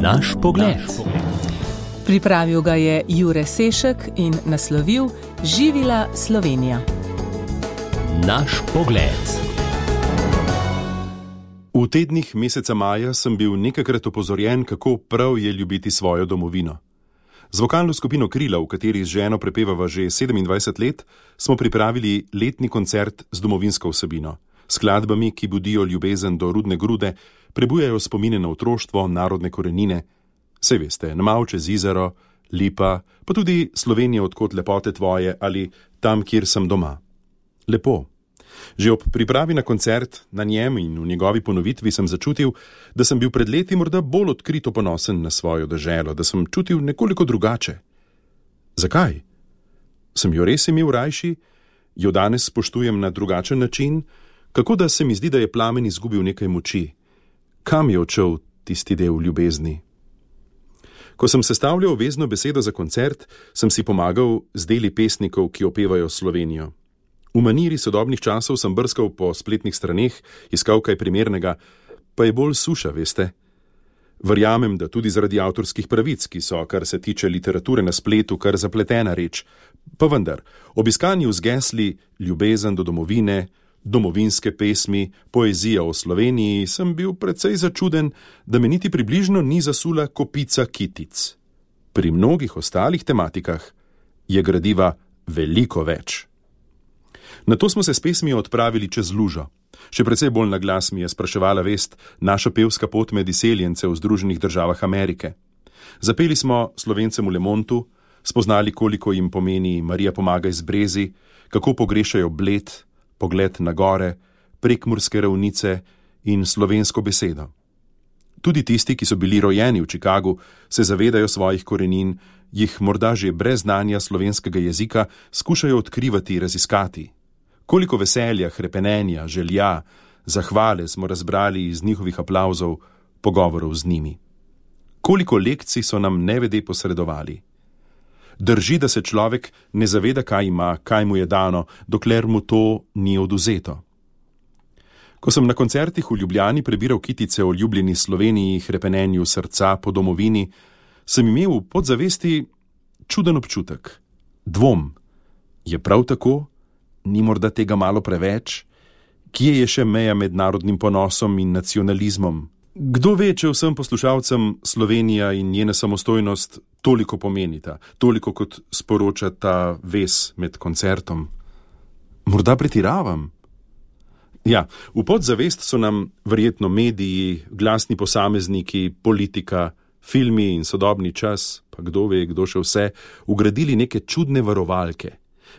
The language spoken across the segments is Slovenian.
Naš pogled. Pripravil ga je Jure Sešek in naslovil Živila Slovenija. Naš pogled. V tednih meseca maja sem bil nekajkrat opozorjen, kako prav je ljubiti svojo domovino. Z vokalno skupino Krila, v kateri z ženo prepevava že 27 let, smo pripravili letni koncert z domovinsko vsebino. Skladbami, ki budijo ljubezen do rudne grude, prebujajo spomine na otroštvo, narodne korenine. Sej veste, Namau čez Izero, Lipa, pa tudi Slovenija odkot lepote tvoje ali Tam, kjer sem doma. Lepo. Že ob pripravi na koncert, na njem in v njegovi ponovitvi sem začutil, da sem bil pred leti morda bolj odkrito ponosen na svojo deželo, da sem čutil nekoliko drugače. Zakaj? Sem jo res imel rajši? Jo danes spoštujem na drugačen način? Kako da se mi zdi, da je plamen izgubil nekaj moči? Kam je odšel tisti del ljubezni? Ko sem sestavljal vezno besedo za koncert, sem si pomagal z deli pesnikov, ki opevajo Slovenijo. V maniri sodobnih časov sem brskal po spletnih straneh, iskal kaj primernega, pa je bolj suša, veste. Verjamem, da tudi zaradi avtorskih pravic, ki so, kar se tiče literature na spletu, kar zapletena reč. Pa vendar, ob iskanju z gesli ljubezen do domovine, domovinske pesmi, poezija o Sloveniji, sem bil precej začuden, da me niti približno ni zasula kopica kitic. Pri mnogih ostalih tematikah je gradiva veliko več. Nato smo se s pesmijo odpravili čez lužo. Še precej bolj na glas mi je spraševala vest naša pevska pot med izseljence v Združenih državah Amerike. Zapeli smo Slovencem v Lemontu, spoznali, koliko jim pomeni Marija pomaga iz Brezi, kako pogrešajo Bled, pogled na gore, prekmurske ravnice in slovensko besedo. Tudi tisti, ki so bili rojeni v Chicagu, se zavedajo svojih korenin, jih morda že brez znanja slovenskega jezika skušajo odkrivati, raziskati. Koliko veselja, hrepenenja, želja, zahvale smo razbrali iz njihovih aplavzov, pogovorov z njimi. Koliko lekcij so nam nevede posredovali. Drži, da se človek ne zaveda, kaj ima, kaj mu je dano, dokler mu to ni oduzeto. Ko sem na koncertih v Ljubljani prebiral kitice o ljubljeni Sloveniji, hrepenenju srca po domovini, sem imel v podzavesti čuden občutek. Dvom. Je prav tako? Ni morda tega malo preveč? Kje je še meja med narodnim ponosom in nacionalizmom? Kdo ve, če vsem poslušalcem Slovenija in njena samostojnost toliko pomenita, toliko kot sporoča ta vez med koncertom? Morda pretiravam? Ja, v podzavest so nam verjetno mediji, glasni posamezniki, politika, filmi in sodobni čas, pa kdo ve, kdo še vse, ugradili neke čudne varovalke.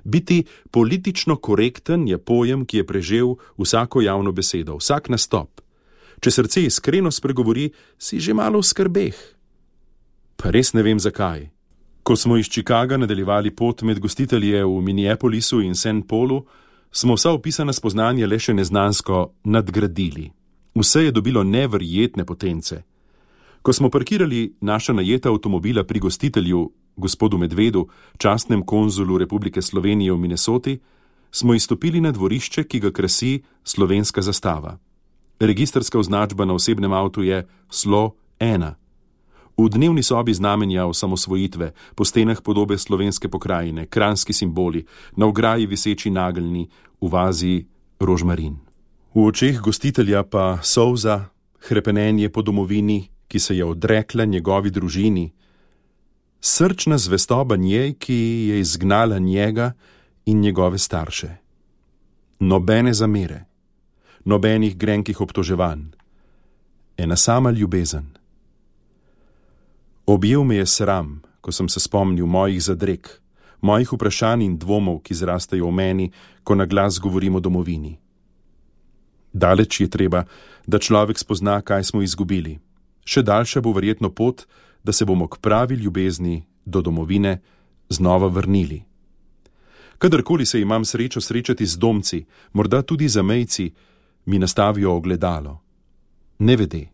Biti politično korekten je pojem, ki je prežel vsako javno besedo, vsak nastop. Če srce iskreno spregovori, si že malo v skrbeh. Pa res ne vem zakaj. Ko smo iz Chicaga nadaljevali pot med gostitelje v Minneapolisu in St. Paulu, smo vsa opisana spoznanja le še neznansko nadgradili. Vse je dobilo neverjetne potence. Ko smo parkirali naša najeta avtomobila pri gostitelju, gospodu Medvedu, častnem konzulu Republike Slovenije v Minnesoti, smo izstopili na dvorišče, ki ga krasi slovenska zastava. Registrska označba na osebnem avtu je SLO 1. V dnevni sobi znamenja osamosvojitve, po stenah podobe slovenske pokrajine, kranjski simboli, na ograji viseči nageljni, v vazi rožmarin. V očeh gostitelja pa solza, hrepenenje po domovini, ki se je odrekla njegovi družini, srčna zvestoba njej, ki je izgnala njega in njegove starše. Nobene zamere, nobenih grenkih obtoževanj, ena sama ljubezen. Objel me je sram, ko sem se spomnil mojih zadreg, mojih vprašanj in dvomov, ki zrastajo v meni, ko na glas govorim o domovini. Daleč je treba, da človek spozna, kaj smo izgubili. Še daljša bo verjetno pot, da se bomo k pravi ljubezni do domovine znova vrnili. Kadarkoli se imam srečo srečati z domci, morda tudi zamejci, mi nastavijo ogledalo. Nevede.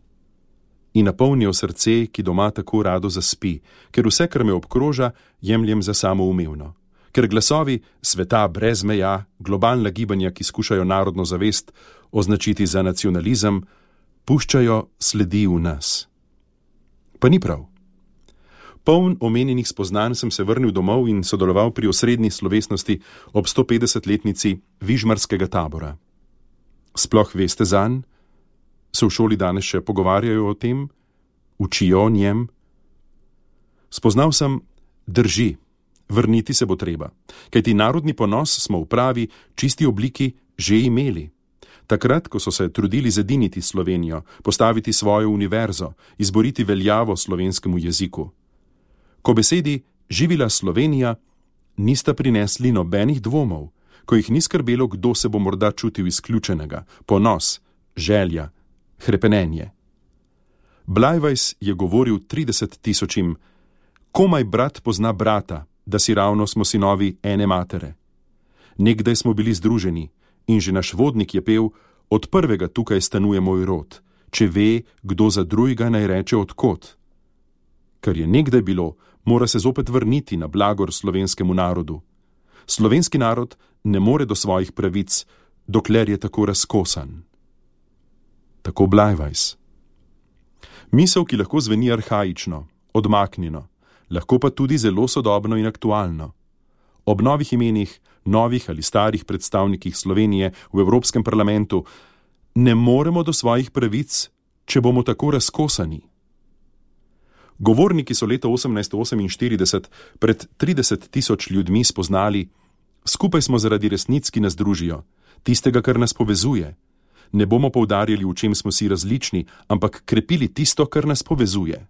In napolnijo srce, ki doma tako rado zaspi, ker vse, kar me obkroža, jemljem za samoumevno. Ker glasovi sveta brez meja, globalna gibanja, ki skušajo narodno zavest označiti za nacionalizem, puščajo sledi v nas. Pa ni prav. Poln omenjenih spoznanj sem se vrnil domov in sodeloval pri osrednji slovesnosti ob 150-letnici Vižmarskega tabora. Sploh veste zanj? Se v šoli danes še pogovarjajo o tem? Učijo o njem? Spoznal sem, drži, vrniti se bo treba, kajti narodni ponos smo v pravi, čisti obliki že imeli. Takrat, ko so se trudili zediniti Slovenijo, postaviti svojo univerzo, izboriti veljavo slovenskemu jeziku. Ko besedi živila Slovenija, nista prinesli nobenih dvomov, ko jih ni skrbelo, kdo se bo morda čutil izključenega, ponos, želja, hrepenenje. Blajvajs je govoril 30 000, komaj brat pozna brata, da si ravno smo sinovi ene matere. Nekdaj smo bili združeni in že naš vodnik je pel, od prvega tukaj stanuje moj rod, če ve, kdo za drugega naj reče odkot. Kar je nekdaj bilo, mora se zopet vrniti na blagor slovenskemu narodu. Slovenski narod ne more do svojih pravic, dokler je tako razkosan. Tako Blajvajs. Misel, ki lahko zveni arhaično, odmaknjeno, lahko pa tudi zelo sodobno in aktualno. Ob novih imenih, novih ali starih predstavnikih Slovenije v Evropskem parlamentu ne moremo do svojih pravic, če bomo tako razkosani. Govorniki so leta 1848 pred 30 000 ljudmi spoznali, skupaj smo zaradi resnic, ki nas družijo, tistega, kar nas povezuje. Ne bomo poudarjali, v čem smo si različni, ampak krepili tisto, kar nas povezuje.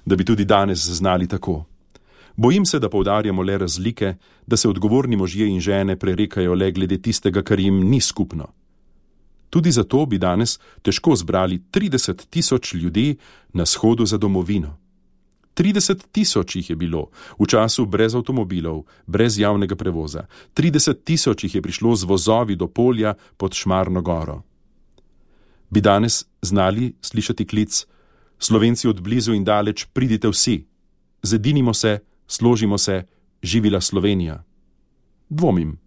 Da bi tudi danes znali tako. Bojim se, da poudarjamo le razlike, da se odgovorni možje in žene prerekajo le glede tistega, kar jim ni skupno. Tudi zato bi danes težko zbrali 30 000 ljudi na shodu za domovino. 30 000 jih je bilo v času brez avtomobilov, brez javnega prevoza. 30 000 jih je prišlo z vozovi do polja pod Šmarno goro. Bi danes znali slišati klic: Slovenci od blizu in daleč, pridite vsi, zedinimo se, složimo se, živila Slovenija. Dvomim.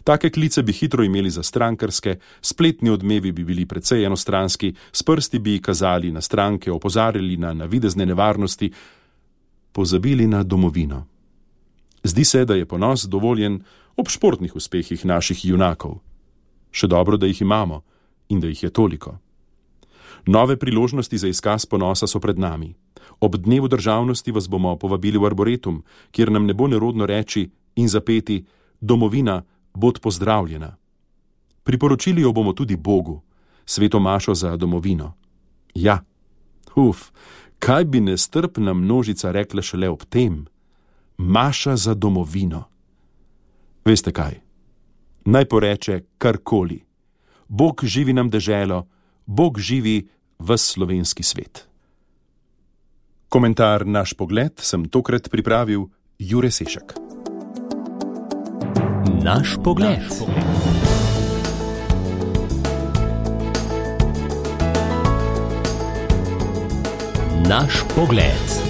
Take klice bi hitro imeli za strankarske, spletni odmevi bi bili precej enostranski, s prsti bi kazali na stranke, opozarjali na navidezne nevarnosti, pozabili na domovino. Zdi se, da je ponos dovoljen ob športnih uspehih naših junakov. Še dobro, da jih imamo in da jih je toliko. Nove priložnosti za izkaz ponosa so pred nami. Ob dnevu državnosti vas bomo povabili v Arboretum, kjer nam ne bo nerodno reči in zapeti: domovina, bod pozdravljena. Priporočili jo bomo tudi Bogu, sveto mašo za domovino. Ja, kaj bi nestrpna množica rekla šele ob tem? Maša za domovino. Veste kaj? Naj poreče karkoli. Bog živi nam deželo, Bog živi ves slovenski svet. Komentar Naš pogled sem tokrat pripravil Jure Sešek. Naš pogled. Naš pogled.